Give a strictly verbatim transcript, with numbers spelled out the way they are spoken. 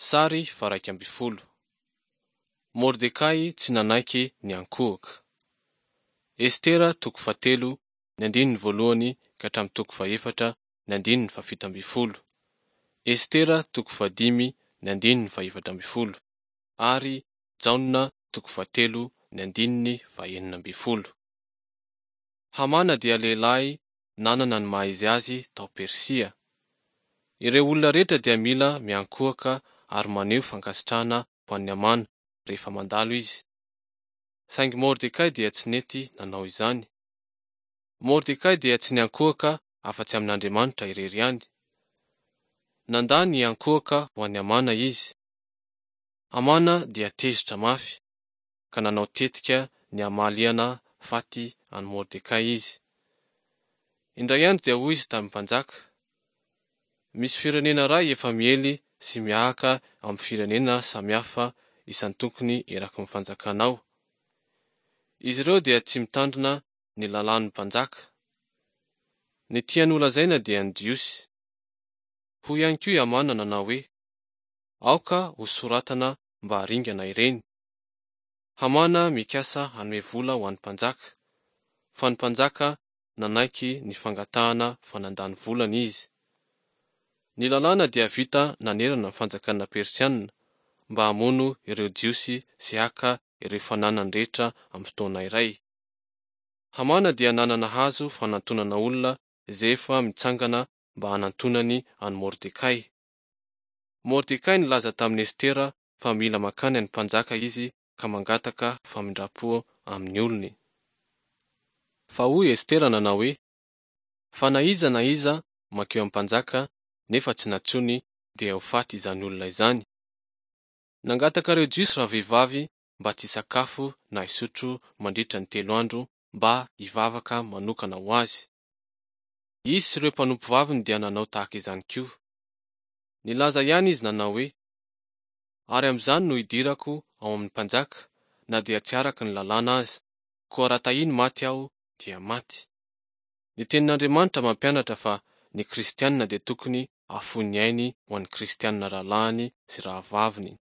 Sary faharaika ambin'ny folo. Mordekay tsy nanaiky niankohoka. Estera toko fahatelo ny andininy voalohany ka hatramin'ny toko fahefatra ny andininy fahafito ambin'ny folo. Estera toko fahadimy ny andininy fahefatra ambin'ny folo ary Jaona toko fahatelo ny andininy fahenina ambin'ny folo. Hamana dia lehilahy nanana ny maha izy azy tao Persia. Ireo olona rehetra dia mila miankohoka ary maneho fankasitrahana ho an'i Hamana rehefa mandalo izy. Saingy Mordekay dia tsy nety nanao izany. Mordekay dia tsy niankohoka afa-tsy amin'Andriamanitra irery ihany. Nandà ny hiankohoka ho an'i Hamana izy. Hamana dia tezitra mafy, ka nanao tetika ny hamaliana faty an'i Mordekay izy. Indray andro dia hoy izy tamin'ny mpanjaka, Misy firenena iray efa miely sy mihahaka amin'ny firenena samihafa isan-tokony eraky ny fanjakanao. Izy ireo dia tsy mitandrina ny lalàn'ny mpanjaka. Ny tiany holazaina dia ny Jiosy. Hoy ihany koa i Hamana nanao hoe, Aoka hosoratana mba haringana ireny. Hamana mikasa hanome vola ho an'ny mpanjaka, fa ny mpanjaka nanaiky ny fangatahana fa nandany volany izy. Ny lalàna dia vita nanerana ny fanjakana persiana mba hamono ireo Jiosy sy haka ireo fananany rehetra amin'ny fotoana iray. Hamana dia nanana hazo fanantonana olona izay efa mitsangana mba hanantonany an'i Mordekay. Mordekay nilaza tamin'i Estera fa mila mankany amin'ny mpanjaka izy ka mangataka famindram-po amin'ny olony. Fa hoy Estera nanao hoe, Fa na iza na iza mankeo amin'ny mpanjaka nefa tsy nantsoiny dia ho faty izany olona izany. Nangataka ireo Jiosy ravehivavy mba tsy hisakafo na hisotro mandritra ny telo andro mba hivavaka manokana ho azy. Izy sy ireo mpanompovaviny dia nanao tahaka izany koa. Nilaza ihany izy nanao hoe, Ary amin'izany no hidirako ao amin'ny mpanjaka, na dia tsy araka ny lalàna aza, koa raha tahiny maty aho dia maty. Ny tenin'Andriamanitra mampianatra fa ny kristiana dia tokony hahafoy ny ainy ho an'ny kristiana rahalahiny sy rahavaviny.